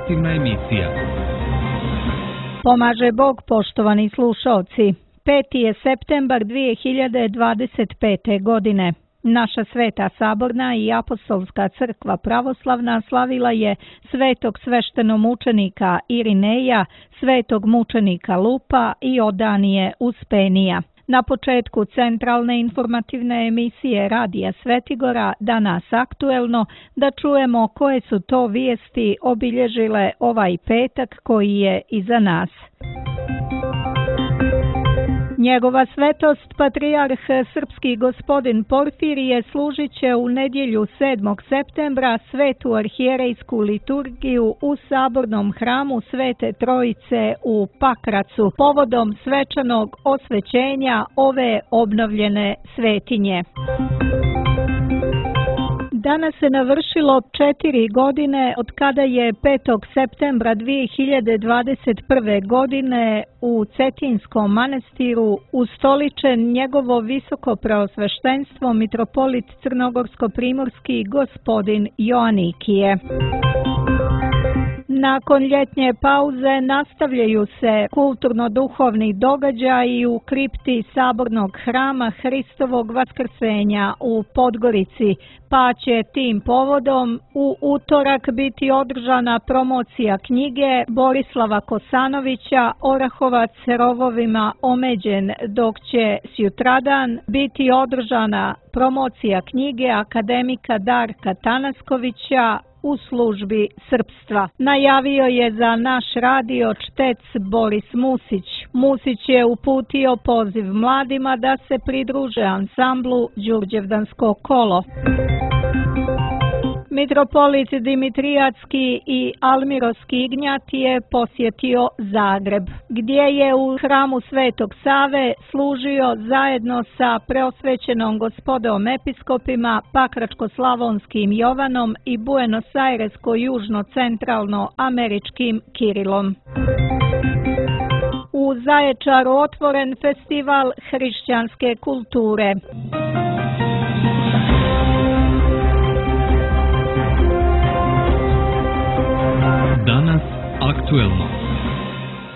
informativna emisija. Pomaže Bog, poštovani slušalci. 5. je septembar 2025. godine. Naša Sveta Saborna i Apostolska crkva pravoslavna slavila je svetog sveštenomučenika Irineja, svetog mučenika Lupa i Odanije Uspenija. Na početku centralne informativne emisije Radija Svetigora, danas aktuelno, da čujemo koje su to vijesti obilježile ovaj petak koji je iza nas. Njegova svetost, patrijarh srpski gospodin Porfirije, služit će u nedjelju 7. septembra svetu arhijerejsku liturgiju u sabornom hramu Svete Trojice u Pakracu, povodom svečanog osvećenja ove obnovljene svetinje. Danas se navršilo 4 godine od kada je 5. septembra 2021. godine u Cetinskom manastiru ustoličen njegovo visoko preosveštenstvo mitropolit crnogorsko-primorski gospodin Joanikije. Nakon ljetnje pauze nastavljaju se kulturno-duhovni događaji u kripti sabornog hrama Hristovog vaskrsenja u Podgorici, pa će tim povodom u utorak biti održana promocija knjige Borislava Kosanovića Orahovac rovovima omeđen, dok će sutradan biti održana promocija knjige akademika Darka Tanaskovića U službi srpstva. Najavio je za naš radio čtec Boris Musić. Musić je uputio poziv mladima da se pridruže ansamblu Đurđevdansko kolo. Mitropolit Dimitriatski i Almiroski Ignjat je posjetio Zagreb, gdje je u hramu Svetog Save služio zajedno sa preosvećenom gospodom episkopima Pakračko-slavonskim Jovanom i Buenos Airesko-južno-centralno-američkim Kirilom. U Zaječaru otvoren festival hrišćanske kulture. Danas aktuelno.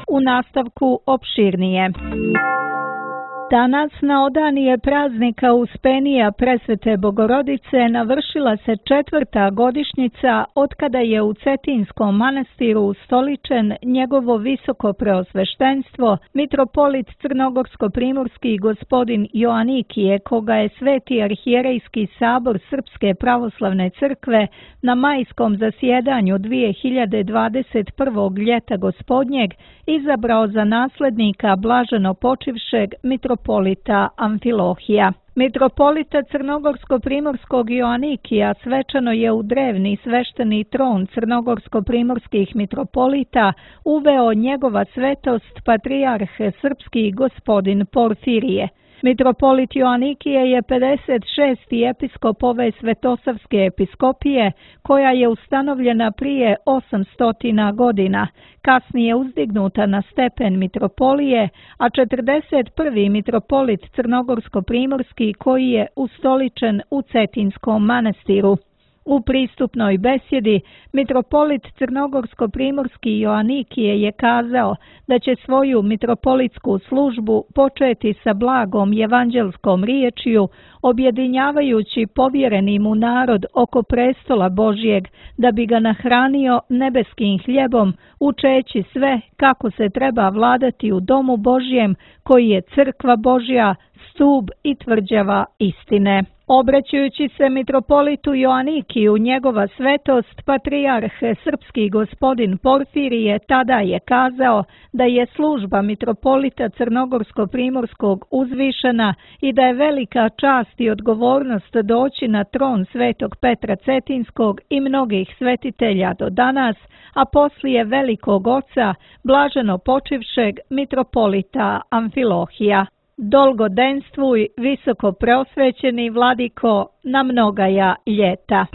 U nastavku opširnije. Danas na odanije praznika Uspenija Presvete Bogorodice navršila se 4. godišnjica otkada je u Cetinskom manastiru ustoličen njegovo visoko preosveštenstvo mitropolit crnogorsko-primorski gospodin Joanikije, koga je Sveti arhijerejski sabor Srpske pravoslavne crkve na majskom zasjedanju 2021. ljeta gospodnjeg izabrao za naslednika blaženo počivšeg mitropolita Amfilohija. Mitropolita crnogorsko-primorskog Joanikija svečano je u drevni svešteni tron crnogorsko-primorskih mitropolita uveo njegova svetost patrijarh srpski gospodin Porfirije. Mitropolit Joanikije je 56. episkop ove Svetosavske episkopije, koja je ustanovljena prije 800 godina, kasnije uzdignuta na stepen mitropolije, a 41. mitropolit crnogorsko-primorski koji je ustoličen u Cetinskom manastiru. U pristupnoj besjedi mitropolit crnogorsko-primorski Joanikije je kazao da će svoju mitropolitsku službu početi sa blagom evanđelskom riječju, objedinjavajući povjereni mu narod oko prestola Božjeg, da bi ga nahranio nebeskim hljebom, učeći sve kako se treba vladati u domu Božjem, koji je crkva Božja, stub i tvrđava istine. Obraćajući se mitropolitu Joanikiju, njegova svetost, patrijarh srpski gospodin Porfirije tada je kazao da je služba mitropolita crnogorsko-primorskog uzvišena i da je velika čast i odgovornost doći na tron svetog Petra Cetinskog i mnogih svetitelja do danas, a poslije velikog oca, blaženo počivšeg mitropolita Amfilohija. Dolgodenstvuj, visoko preosvećeni vladiko, na mnogaja ljeta.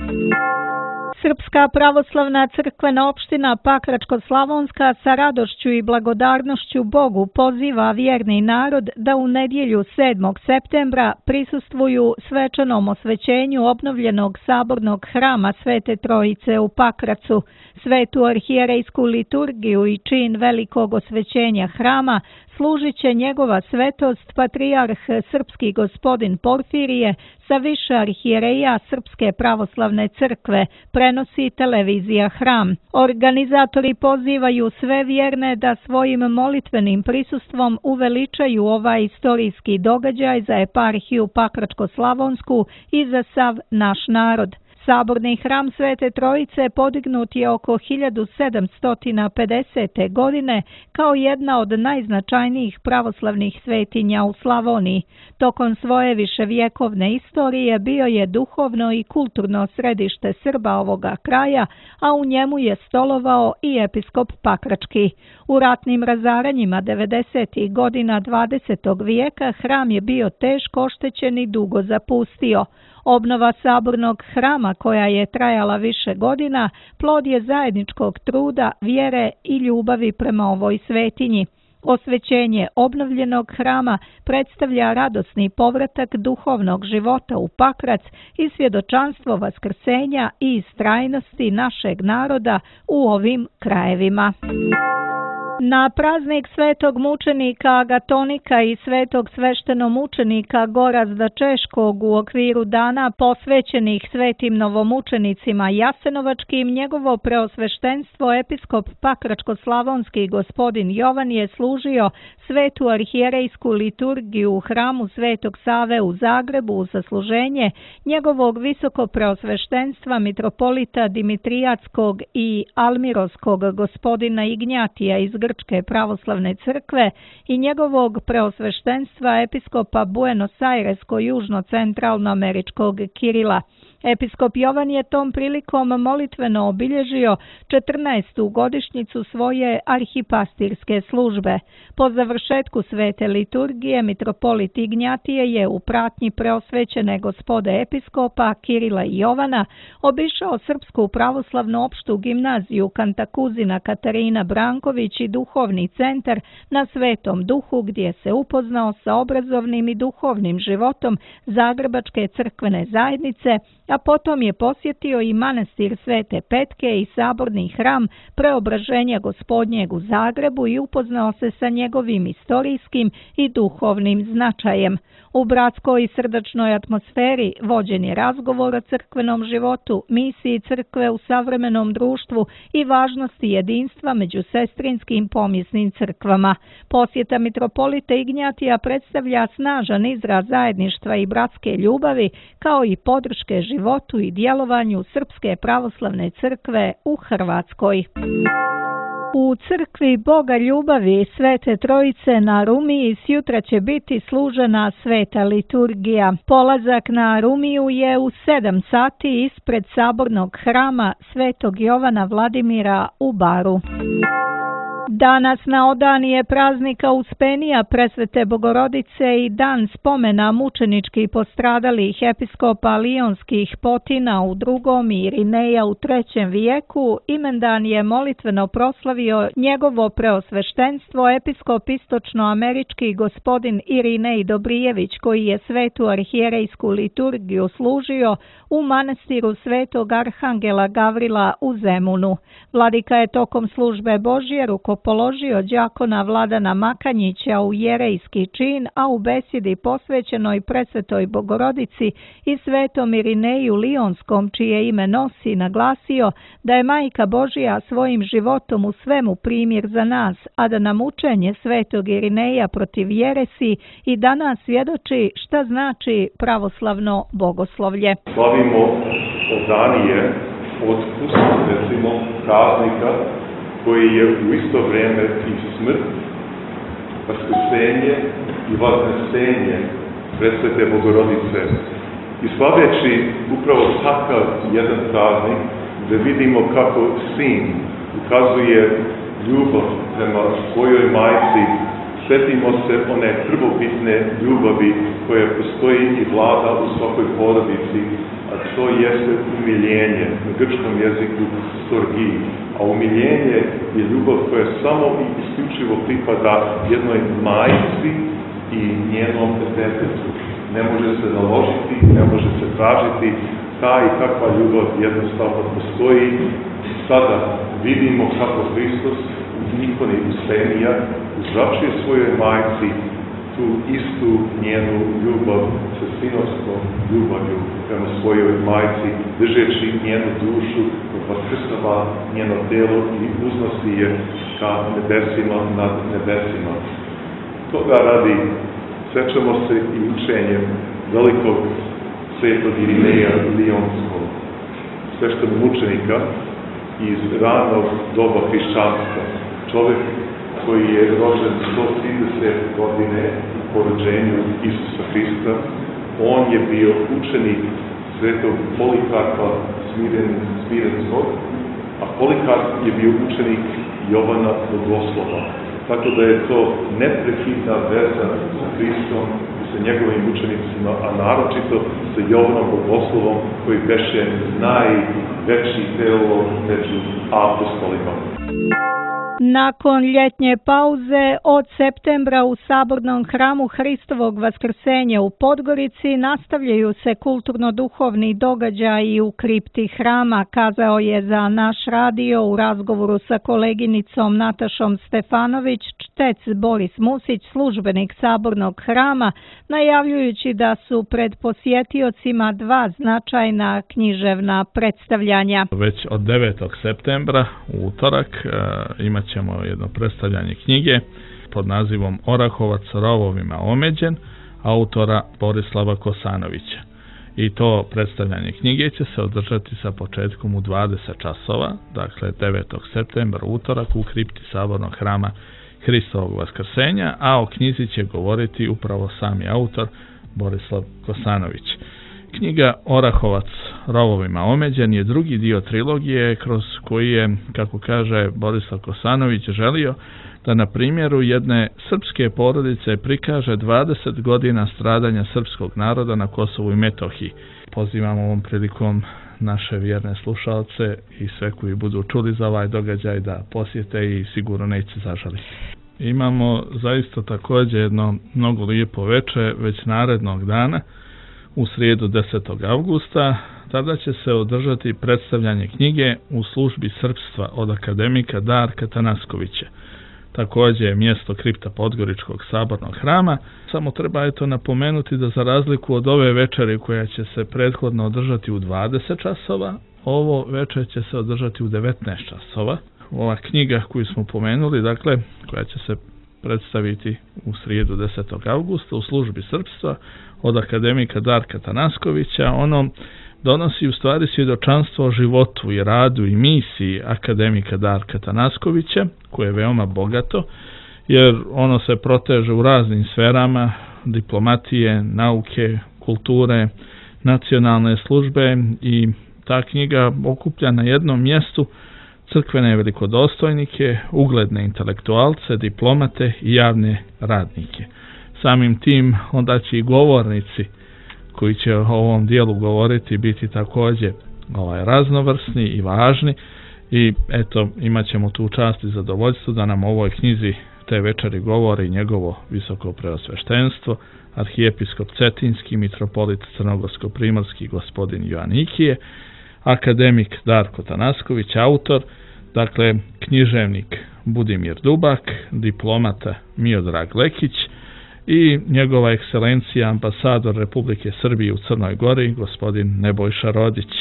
Srpska pravoslavna crkvena opština Pakračko-Slavonska sa radošću i blagodarnošću Bogu poziva vjerni narod da u nedjelju 7. septembra prisustvuju svečanom osvećenju obnovljenog sabornog hrama Svete Trojice u Pakracu. Svetu arhijerejsku liturgiju i čin velikog osvećenja hrama služit će njegova svetost patrijarh srpski gospodin Porfirije sa više arhijereja Srpske pravoslavne crkve, prenosi televizija Hram. Organizatori pozivaju sve vjerne da svojim molitvenim prisustvom uveličaju ovaj istorijski događaj za eparhiju Pakračko-Slavonsku i za sav naš narod. Saborni hram Svete Trojice podignut je oko 1750. godine kao jedna od najznačajnijih pravoslavnih svetinja u Slavoniji. Tokom svoje viševjekovne istorije bio je duhovno i kulturno središte Srba ovoga kraja, a u njemu je stolovao i episkop Pakrački. U ratnim razaranjima 90. godina 20. vijeka hram je bio teško oštećen i dugo zapustio. Obnova sabornog hrama, koja je trajala više godina, plod je zajedničkog truda, vjere i ljubavi prema ovoj svetinji. Osvećenje obnovljenog hrama predstavlja radosni povratak duhovnog života u Pakrac i svjedočanstvo vaskrsenja i istrajnosti našeg naroda u ovim krajevima. Na praznik svetog mučenika Agatonika i svetog sveštenomučenika Gorazda Češkog u okviru dana posvećenih svetim novomučenicima Jasenovačkim, njegovo preosveštenstvo episkop Pakračko-Slavonski gospodin Jovan je služio svetu arhijerejsku liturgiju u hramu Svetog Save u Zagrebu u zasluženje njegovog visoko preosveštenstva mitropolita Dimitrijatskog i Almirovskog gospodina Ignjatija iz Grčke pravoslavne crkve i njegovog preosveštenstva episkopa Buenos Airesko-južno-centralnoameričkog Kirila. Episkop Jovan je tom prilikom molitveno obilježio 14. godišnjicu svoje arhipastirske službe. Po završetku svete liturgije mitropolit Ignjatije je u pratnji preosvećene gospode episkopa Kirila i Jovana obišao Srpsku pravoslavnu opštu gimnaziju Kantakuzina Katarina Branković i duhovni centar na Svetom Duhu, gdje se upoznao sa obrazovnim i duhovnim životom Zagrebačke crkvene zajednice, a potom je posjetio i manastir Svete Petke i saborni hram Preobraženja Gospodnjeg u Zagrebu i upoznao se sa njegovim istorijskim i duhovnim značajem. U bratskoj i srdačnoj atmosferi vođen je razgovor o crkvenom životu, misiji crkve u savremenom društvu i važnosti jedinstva među sestrinskim pomjesnim crkvama. Posjeta mitropolita Ignjatija predstavlja snažan izraz zajedništva i bratske ljubavi, kao i podrške životu i djelovanju Srpske pravoslavne crkve u Hrvatskoj. U crkvi Boga ljubavi Svete Trojice na Rumiji sjutra će biti služena sveta liturgija. Polazak na Rumiju je u 7 sati ispred sabornog hrama Svetog Jovana Vladimira u Baru. Danas na odanije praznika Uspenija Presvete Bogorodice i dan spomena mučenički postradalih episkopa lionskih Potina u 2. i Irineja u 3. vijeku, imendan je molitveno proslavio njegovo preosveštenstvo episkop istočnoamerički gospodin Irinej Dobrijević, koji je svetu arhijerejsku liturgiju služio u manastiru Svetog Arhangela Gavrila u Zemunu. Vladika je tokom službe Božje rukopoložio đakona Vladana Makanjića u jerejski čin, a u besjedi posvećenoj Presvetoj Bogorodici i Svetom Irineju Lionskom, čije ime nosi, naglasio da je Majka Božja svojim životom u svemu primjer za nas, a da nam učenje Svetog Irineja protiv jeresi i danas svjedoči šta znači pravoslavno bogoslovlje. Slavimo odanije od recimo praznika koji je u isto vrijeme i smrt, vaskrsenje i vaznesenje Presvete Bogorodice. I slaveći upravo takav jedan praznik, da vidimo kako sin ukazuje ljubav prema svojoj majci Sjetimo se one prvobitne ljubavi koja postoji i vlada u svakoj porodici, a to jeste umiljenje, na grčkom jeziku storgiji. A umiljenje je ljubav koja samo i isključivo pripada jednoj majci i njenom detetu. Ne može se naložiti, ne može se tražiti, ta i takva ljubav jednostavno postoji. Sada vidimo kako Hristos u ikoni Uspenija uzvraćuje svojoj majci tu istu njenu ljubav sa sinovskom ljubavlju prema svojoj majci, držeći njenu dušu, vaskrsava njeno telo i uznosi je ka nebesima nad nebesima. Toga radi sećamo se i učenjem velikog svetog Irineja Lionskog, sveštenomučenika iz ranog doba hrišćanstva. Čovjek koji je rođen 130 godine po rođenju Isusa Hrista, on je bio učenik svetog Polikarpa Smirenskog, a Polikarp je bio učenik Jovana Bogoslova. Tako da je to neprekidna veza sa Hristom i sa njegovim učenicima, a naročito sa Jovanom Bogoslovom koji beše najveći teolog među apostolima. Nakon ljetnje pauze od septembra u Sabornom hramu Hristovog Vaskrsenja u Podgorici nastavljaju se kulturno-duhovni događaji u kripti hrama, kazao je za naš radio u razgovoru sa koleginicom Natašom Stefanović čtec Boris Musić, službenik Sabornog hrama, najavljujući da su pred posjetiocima dva značajna književna predstavljanja. Već od 9. septembra u utorak imat ćemo jedno predstavljanje knjige pod nazivom Orahovac rovovima omeđen, autora Borislava Kosanovića. I to predstavljanje knjige će se održati sa početkom u 20 časova, dakle 9. septembra utorak u kripti Sabornog hrama Hristovog Vaskrsenja, a o knjizi će govoriti upravo sami autor Borislav Kosanović. Knjiga Orahovac rovovima omeđen je drugi dio trilogije kroz koji je, kako kaže Borislav Kosanović, želio da na primjeru jedne srpske porodice prikaže 20 godina stradanja srpskog naroda na Kosovu i Metohiji. Pozivam ovom prilikom naše vjerne slušalce i sve koji budu čuli za ovaj događaj da posjete i sigurno neće zažaliti. Imamo zaista također jedno mnogo lijepo veče već narednog dana, u srijedu 10. avgusta, tada će se održati predstavljanje knjige U službi srpstva od akademika Darka Tanaskovića. Također je mjesto kripta Podgoričkog Sabornog hrama. Samo treba napomenuti da za razliku od ove večeri koja će se prethodno održati u 20 časova, ovo večer će se održati u 19 časova. Ova knjiga koju smo pomenuli, dakle, koja će se predstaviti u srijedu 10. avgusta u službi srpstva od akademika Darka Tanaskovića, ono donosi u stvari svjedočanstvo o životu i radu i misiji akademika Darka Tanaskovića, koje je veoma bogato, jer ono se proteže u raznim sferama diplomatije, nauke, kulture, nacionalne službe i ta knjiga okuplja na jednom mjestu crkvene velikodostojnike, ugledne intelektualce, diplomate i javne radnike. Samim tim onda će i govornici koji će o ovom dijelu govoriti biti također raznovrsni i važni i eto imat ćemo tu čast i zadovoljstvo da nam o ovoj knjizi te večeri govori njegovo visoko preosveštenstvo, arhijepiskop Cetinski, mitropolit Crnogorsko-primorski gospodin Joanikije, akademik Darko Tanasković, autor, dakle književnik Budimir Dubak, diplomata Miodrag Lekić i njegova ekscelencija ambasador Republike Srbije u Crnoj Gori, gospodin Nebojša Rodić.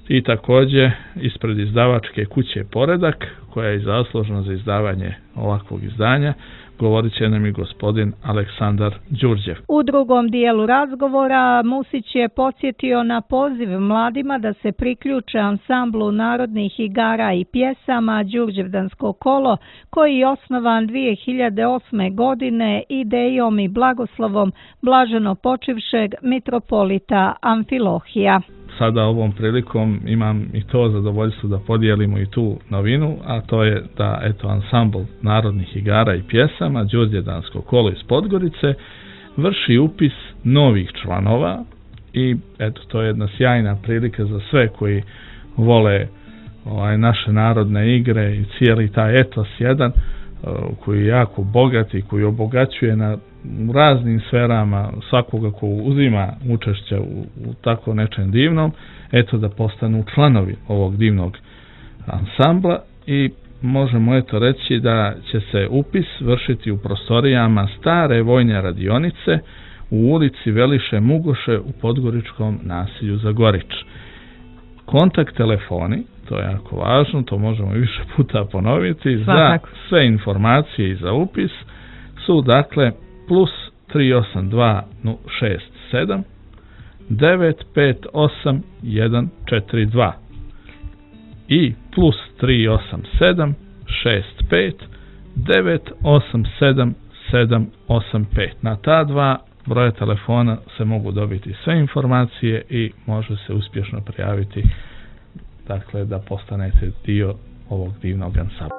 I također ispred izdavačke kuće Poredak, koja je zaslužna za izdavanje ovakvog izdanja, govorit će nam i gospodin Aleksandar Đurđev. U drugom dijelu razgovora Musić je podsjetio na poziv mladima da se priključe ansamblu narodnih igara i pjesama Đurđevdansko kolo, koji je osnovan 2008. godine idejom i blagoslovom blaženo počivšeg mitropolita Amfilohija. sada ovom prilikom imam i to zadovoljstvo da podijelimo i tu novinu, a to je da ansambl narodnih igara i pjesama Đurđedansko kolo iz Podgorice vrši upis novih članova i to je jedna sjajna prilika za sve koji vole naše narodne igre i cijeli taj etos jedan koji je jako bogat i koji obogaćuje u raznim sferama svakoga ko uzima učešće u tako nečem divnom, da postanu članovi ovog divnog ansambla i možemo reći da će se upis vršiti u prostorijama stare vojne radionice u ulici Veliše Mugoše u podgoričkom naselju Zagorič. Kontakt telefoni, to je jako važno, to možemo više puta ponoviti, za sve informacije i za upis su dakle plus 382 067 958 142 i plus 387 65 987 785. Na ta dva broja telefona se mogu dobiti sve informacije i može se uspješno prijaviti, dakle, da postanete dio ovog divnog ansambla.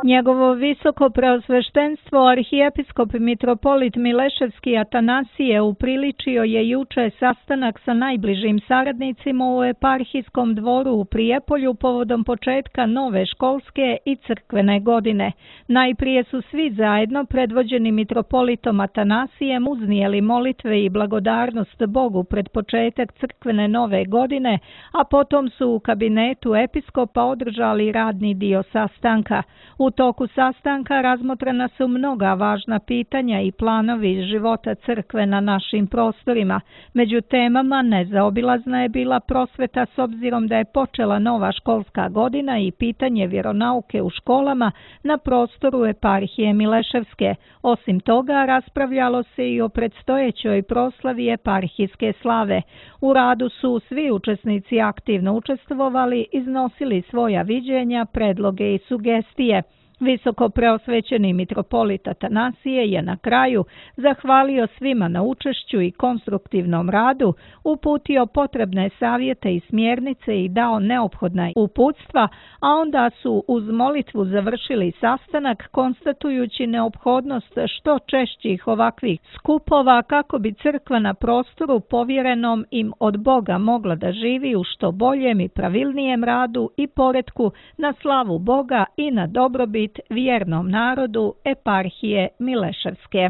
Njegovo visoko preosveštenstvo arhijepiskop mitropolit Mileševski Atanasije upriličio je juče sastanak sa najbližim saradnicima u eparhijskom dvoru u Prijepolju povodom početka nove školske i crkvene godine. Najprije su svi zajedno predvođeni mitropolitom Atanasijem uznijeli molitve i blagodarnost Bogu pred početak crkvene nove godine, a potom su u kabinetu episkopa održali radni dio sastanka. U toku sastanka razmotrena su mnoga važna pitanja i planovi života crkve na našim prostorima. Među temama nezaobilazna je bila prosveta s obzirom da je počela nova školska godina i pitanje vjeronauke u školama na prostoru eparhije Mileševske. Osim toga, raspravljalo se i o predstojećoj proslavi eparhijske slave. U radu su svi učesnici aktivno učestvovali, iznosili svoja viđenja, predloge i sugestije. Visoko preosvećeni mitropolit Atanasije je na kraju zahvalio svima na učešću i konstruktivnom radu, uputio potrebne savjete i smjernice i dao neophodna uputstva, a onda su uz molitvu završili sastanak konstatujući neophodnost što češćih ovakvih skupova kako bi crkva na prostoru povjerenom im od Boga mogla da živi u što boljem i pravilnijem radu i poretku na slavu Boga i na dobrobit vjernom narodu eparhije Mileševske.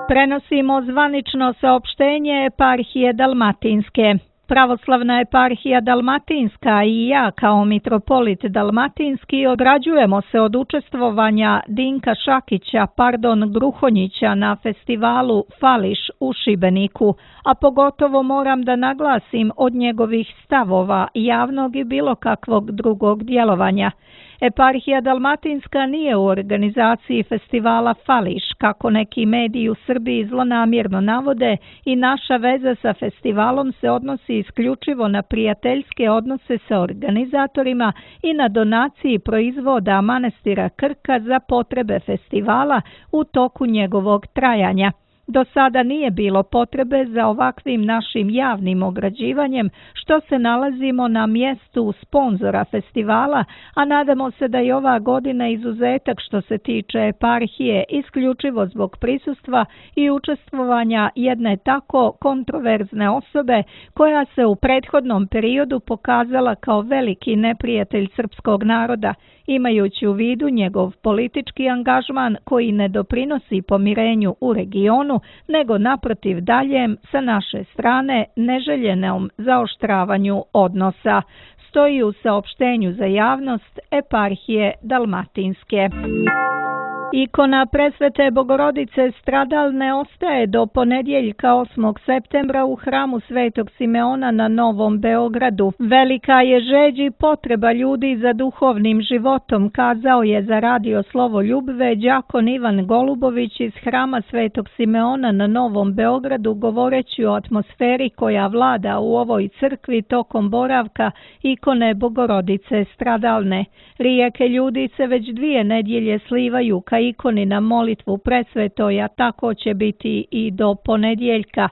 Prenosimo zvanično saopštenje eparhije Dalmatinske. Pravoslavna eparhija Dalmatinska i ja kao mitropolit Dalmatinski ograđujemo se od učestvovanja Dinka Gruhonjića na festivalu Fališ u Šibeniku, a pogotovo moram da naglasim od njegovih stavova javnog i bilo kakvog drugog djelovanja. Eparhija Dalmatinska nije u organizaciji festivala Fališ, kako neki mediji u Srbiji zlonamjerno navode, i naša veza sa festivalom se odnosi isključivo na prijateljske odnose sa organizatorima i na donaciji proizvoda manastira Krka za potrebe festivala u toku njegovog trajanja. Do sada nije bilo potrebe za ovakvim našim javnim ograđivanjem, što se nalazimo na mjestu sponzora festivala, a nadamo se da je ova godina izuzetak što se tiče eparhije isključivo zbog prisustva i učestvovanja jedne tako kontroverzne osobe koja se u prethodnom periodu pokazala kao veliki neprijatelj srpskog naroda, imajući u vidu njegov politički angažman koji ne doprinosi pomirenju u regionu, nego naprotiv daljem sa naše strane neželjenom zaoštravanju odnosa, stoji u saopštenju za javnost eparhije Dalmatinske. Ikona Presvete Bogorodice stradalne ostaje do ponedjeljka 8. septembra u hramu Svetog Simeona na Novom Beogradu. Velika je žeđ i potreba ljudi za duhovnim životom, kazao je za radio Slovo Ljubve đakon Ivan Golubović iz hrama Svetog Simeona na Novom Beogradu, govoreći o atmosferi koja vlada u ovoj crkvi tokom boravka ikone Bogorodice stradalne. Rijeke ljudi se već 2 nedjelje slivaju ka ikoni na molitvu presvetoj, a tako će biti i do ponedjeljka.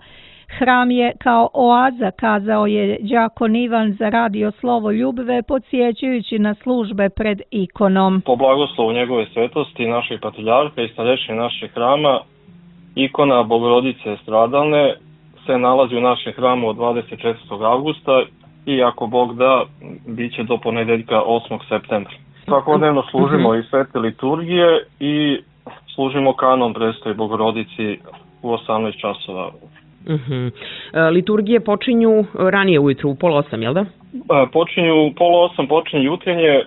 Hram je kao oaza, kazao je đakon Ivan za Radio Slovo Ljubve, podsjećajući na službe pred ikonom. Po blagoslovu njegove svetosti, našeg patrijarha i starešine našeg hrama, ikona Bogorodice stradalne se nalazi u našem hramu od 24. avgusta i ako Bog da, bit će do ponedeljka 8. septembra. Svakodnevno služimo i svete liturgije i služimo kanon Prestoji Bogorodici u 18 časova. Liturgije počinju ranije ujutru, u 7:30, jel da? Počinju u 7:30, počinje jutrenje,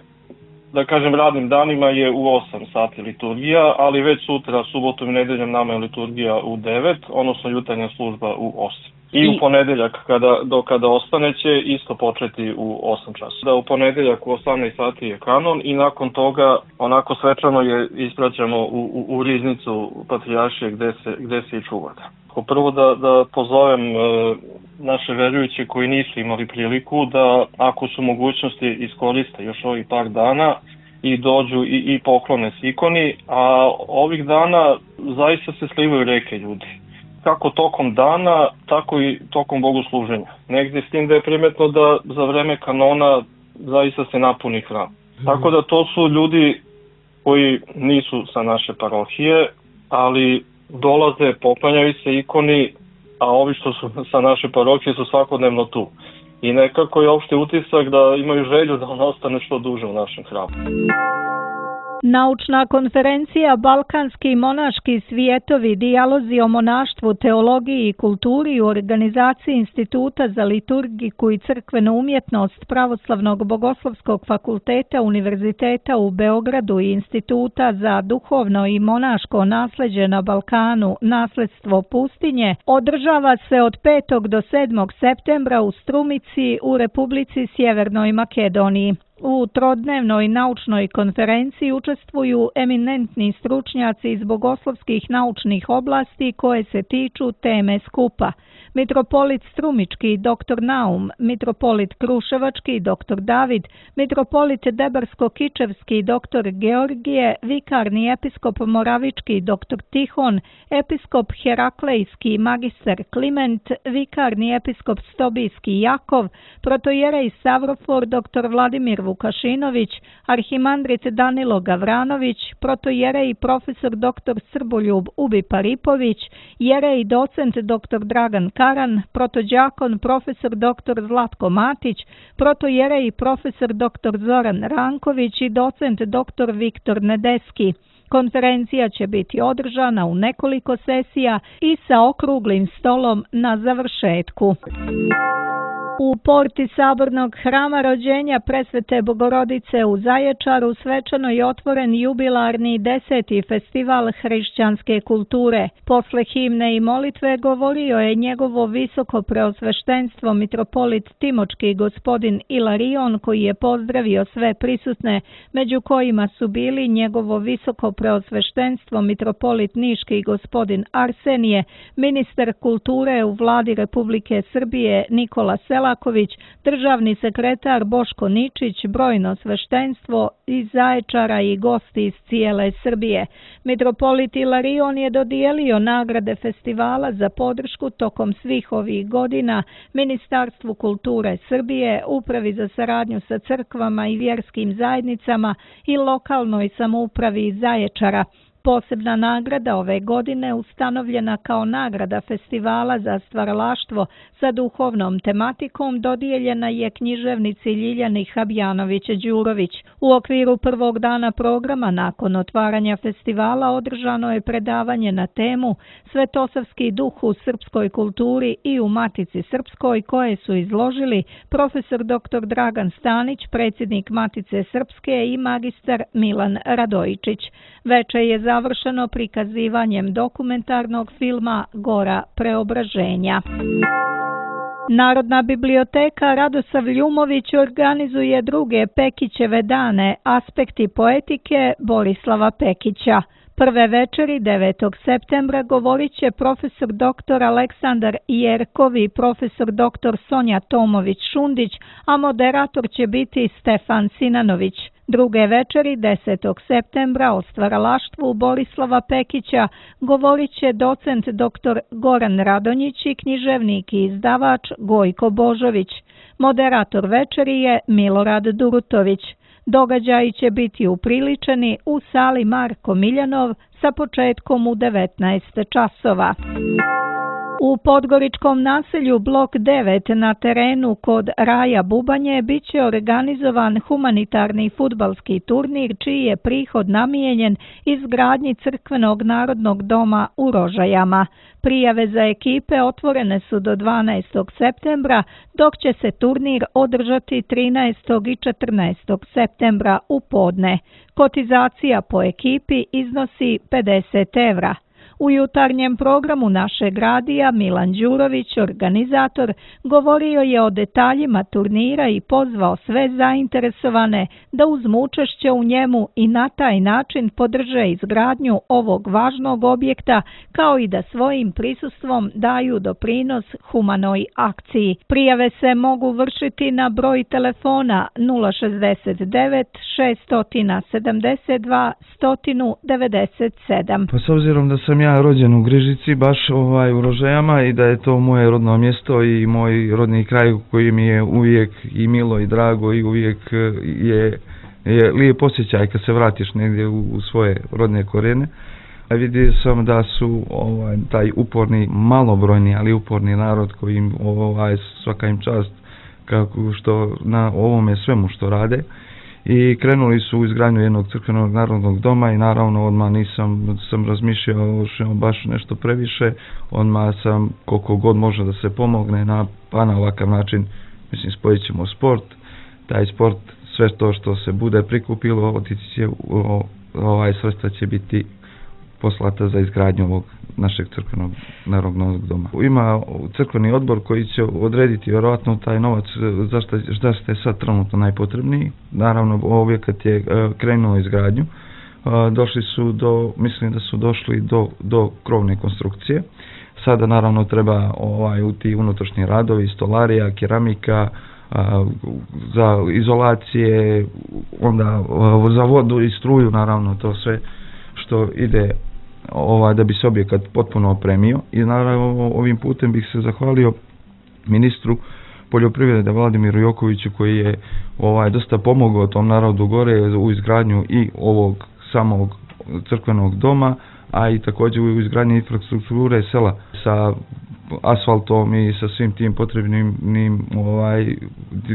da kažem radnim danima je u 8 sati liturgija, ali već sutra, subotom i nedeljom nama je liturgija u 9, odnosno jutarnja služba u 8. I u ponedeljak, kada ostane, će isto početi u 8 časa. U ponedeljak u 18 sati je kanon i nakon toga onako svečano je ispraćamo u riznicu patrijaršije gde se i čuvate. Prvo da pozovem naše verujuće koji nisu imali priliku da ako su mogućnosti iskoriste još ovih par dana i dođu i poklone se ikoni, a ovih dana zaista se slivaju reke ljudi. Kako tokom dana, tako i tokom bogosluženja. Negdje s tim da je primetno da za vreme kanona zaista se napuni hram. Tako da to su ljudi koji nisu sa naše parohije, ali dolaze, poklanjaju se ikoni, a ovi što su sa naše parohije su svakodnevno tu. I nekako je opšte utisak da imaju želju da ona ostane što duže u našem hramu. Naučna konferencija Balkanski monaški svijetovi, dijalozi o monaštvu, teologiji i kulturi u organizaciji Instituta za liturgiku i crkvenu umjetnost Pravoslavnog bogoslovskog fakulteta Univerziteta u Beogradu i Instituta za duhovno i monaško nasleđe na Balkanu, nasledstvo pustinje, održava se od 5. do 7. septembra u Strumici u Republici Sjevernoj Makedoniji. U trodnevnoj naučnoj konferenciji učestvuju eminentni stručnjaci iz bogoslovskih naučnih oblasti koje se tiču teme skupa. Mitropolit Strumički dr. Naum, mitropolit Kruševački dr. David, mitropolit Debarsko-Kičevski dr. Georgije, vikarni episkop Moravički dr. Tihon, episkop Heraklejski magistar Kliment, vikarni episkop Stobijski Jakov, protojerej Savrofor dr. Vladimir Vukašinović, arhimandrit Danilo Gavranović, protojerej profesor dr. Srboljub Ubi Paripović, jerej docent dr. Dragan Karan, protođakon profesor dr. Zlatko Matić, protojerej profesor dr. Zoran Ranković i docent dr. Viktor Nedeski. Konferencija će biti održana u nekoliko sesija i sa okruglim stolom na završetku. U porti Sabornog hrama rođenja Presvete Bogorodice u Zaječaru svečano je otvoren jubilarni 10. festival hrišćanske kulture. Posle himne i molitve govorio je njegovo visoko preosveštenstvo mitropolit Timočki gospodin Ilarion, koji je pozdravio sve prisutne, među kojima su bili njegovo visoko preosveštenstvo mitropolit Niški gospodin Arsenije, ministar kulture u vladi Republike Srbije Nikola Selaković, državni sekretar Boško Ničić, brojno sveštenstvo iz Zaječara i gosti iz cijele Srbije. Mitropolit Ilarion je dodijelio nagrade festivala za podršku tokom svih ovih godina Ministarstvu kulture Srbije, Upravi za saradnju sa crkvama i vjerskim zajednicama i lokalnoj samoupravi iz Zaječara. Posebna nagrada ove godine ustanovljena kao nagrada festivala za stvaralaštvo sa duhovnom tematikom dodijeljena je književnici Ljiljani Habjanović-Đurović. U okviru prvog dana programa nakon otvaranja festivala održano je predavanje na temu Svetosavski duh u srpskoj kulturi i u Matici Srpskoj, koje su izložili profesor dr. Dragan Stanić, predsjednik Matice Srpske, i magistar Milan Radojičić. Veče je završeno prikazivanjem dokumentarnog filma Gora preobraženja. Narodna biblioteka Radosav Ljumović organizuje druge Pekićeve dane, aspekti poetike Borislava Pekića. Prve večeri 9. septembra govorit će profesor dr. Aleksandar Jerkov i profesor dr. Sonja Tomović-Šundić, a moderator će biti Stefan Sinanović. Druge večeri 10. septembra o stvaralaštvu Borislava Pekića govorit će docent dr. Goran Radonjić i književnik i izdavač Gojko Božović. Moderator večeri je Milorad Durutović. Događaji će biti upriličeni u sali Marko Miljanov sa početkom u 19 časova. U podgoričkom naselju Blok 9 na terenu kod Raja Bubanje biće organizovan humanitarni fudbalski turnir čiji je prihod namijenjen izgradnji Crkvenog narodnog doma u Rožajama. Prijave za ekipe otvorene su do 12. septembra, dok će se turnir održati 13. i 14. septembra u podne. Kotizacija po ekipi iznosi 50 evra. U jutarnjem programu našeg radija Milan Đurović, organizator, govorio je o detaljima turnira i pozvao sve zainteresovane da uzmu učešće u njemu i na taj način podrže izgradnju ovog važnog objekta, kao i da svojim prisustvom daju doprinos humanoj akciji. Prijave se mogu vršiti na broj telefona 069 672 197. Pa s obzirom da sam ja rođen u Grižici, baš u Rožajama, i da je to moje rodno mjesto i moj rodni kraj koji mi je uvijek i milo i drago i uvijek je lijep osjećaj kad se vratiš negdje u svoje rodne korijene. Vidio sam da su taj uporni, malobrojni, ali uporni narod koji svaka im čast kako što na ovome svemu što rade. I krenuli su u izgradnju jednog crkvenog narodnog doma i naravno odmah sam razmišljao baš nešto previše, odmah sam koliko god može da se pomogne na ovakav način, mislim spojit ćemo sport, taj sport, sve to što se bude prikupilo, otići će, sredstva će biti poslata za izgradnju ovog našeg crkvenog narodnog doma. Ima crkveni odbor koji će odrediti vjerojatno taj novac zašto je sad trenutno najpotrebniji. Naravno, objekat je krenuo izgradnju. Mislim da su došli do krovne konstrukcije. Sada naravno treba u ti unutrašnji radovi, stolarija, keramika, za izolacije, onda za vodu i struju, naravno to sve što ide da bi se objekat potpuno opremio. I naravno ovim putem bih se zahvalio ministru poljoprivrede Vladimiru Jokoviću koji je dosta pomogao tom narodu gore u izgradnju i ovog samog crkvenog doma, a i također u izgradnji infrastrukture sela sa asfaltom i sa svim tim potrebnim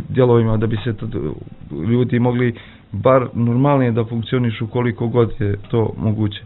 dijelovima da bi se ljudi mogli bar normalnije da funkcionišu koliko god je to moguće.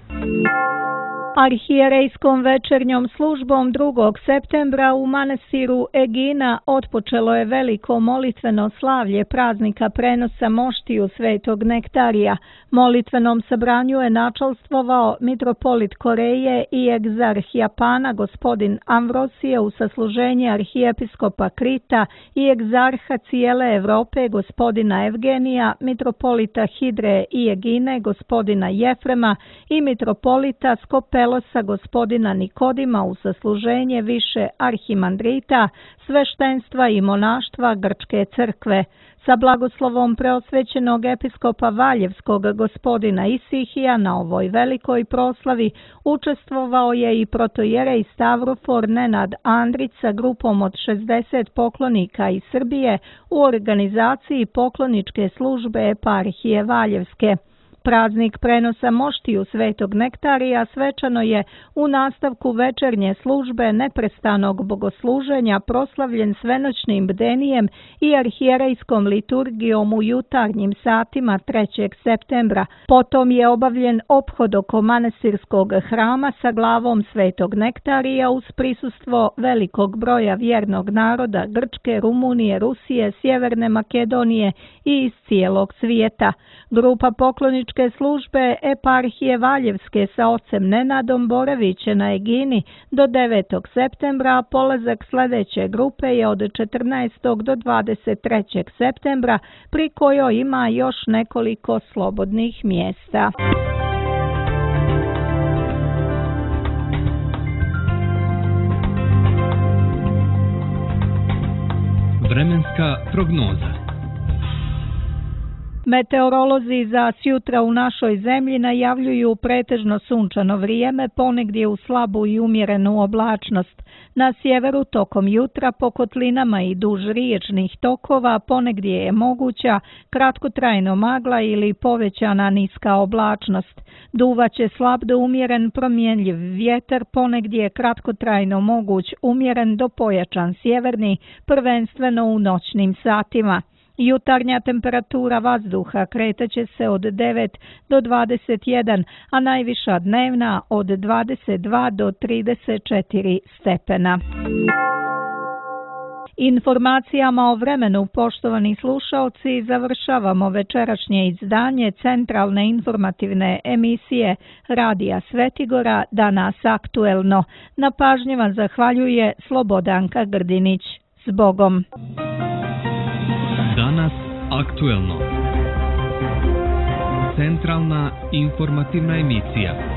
Arhijerejskom večernjom službom 2. septembra u manastiru Egina otpočelo je veliko molitveno slavlje praznika prenosa moštiju Svetog Nektarija. Molitvenom sabranju je načalstvovao mitropolit Koreje i egzarh Japana gospodin Amvrosije u sasluženje arhijepiskopa Krita i egzarha cijele Evrope gospodina Evgenija, mitropolita Hidre i Egine gospodina Jefrema i mitropolita Skopelosa gospodina Nikodima u sasluženje više arhimandrita, sveštenstva i monaštva Grčke crkve. Sa blagoslovom preosvećenog episkopa Valjevskog gospodina Isihija na ovoj velikoj proslavi učestvovao je i protojerej Stavrofor Nenad Andrić sa grupom od 60 poklonika iz Srbije u organizaciji pokloničke službe eparhije Valjevske. Praznik prenosa moštiju Svetog Nektarija svečano je u nastavku večernje službe neprestanog bogosluženja proslavljen svenoćnim bdenijem i arhijerejskom liturgijom u jutarnjim satima 3. septembra. Potom je obavljen ophod oko manastirskog hrama sa glavom Svetog Nektarija uz prisustvo velikog broja vjernog naroda Grčke, Rumunije, Rusije, Sjeverne Makedonije i iz cijelog svijeta. Grupa pokloničke službe eparhije Valjevske sa ocem Nenadom boraviće na Egini do 9. septembra, a polazak sljedeće grupe je od 14. do 23. septembra, pri kojoj ima još nekoliko slobodnih mjesta. Vremenska prognoza. Meteorolozi za sjutra u našoj zemlji najavljuju pretežno sunčano vrijeme, ponegdje u slabu i umjerenu oblačnost. Na sjeveru tokom jutra po kotlinama i duž riječnih tokova ponegdje je moguća kratkotrajno magla ili povećana niska oblačnost. Duvaće slab do umjeren promjenljiv vjetar, ponegdje kratkotrajno moguć umjeren do pojačan sjeverni, prvenstveno u noćnim satima. Jutarnja temperatura vazduha kretaće se od 9 do 21, a najviša dnevna od 22 do 34 stepena. Informacijama o vremenu, poštovani slušaoci, završavamo večerašnje izdanje centralne informativne emisije Radija Svetigora Danas aktuelno. Na pažnji vam zahvaljuje Slobodanka Grdinić. Zbogom. Danas aktuelno. Centralna informativna emisija.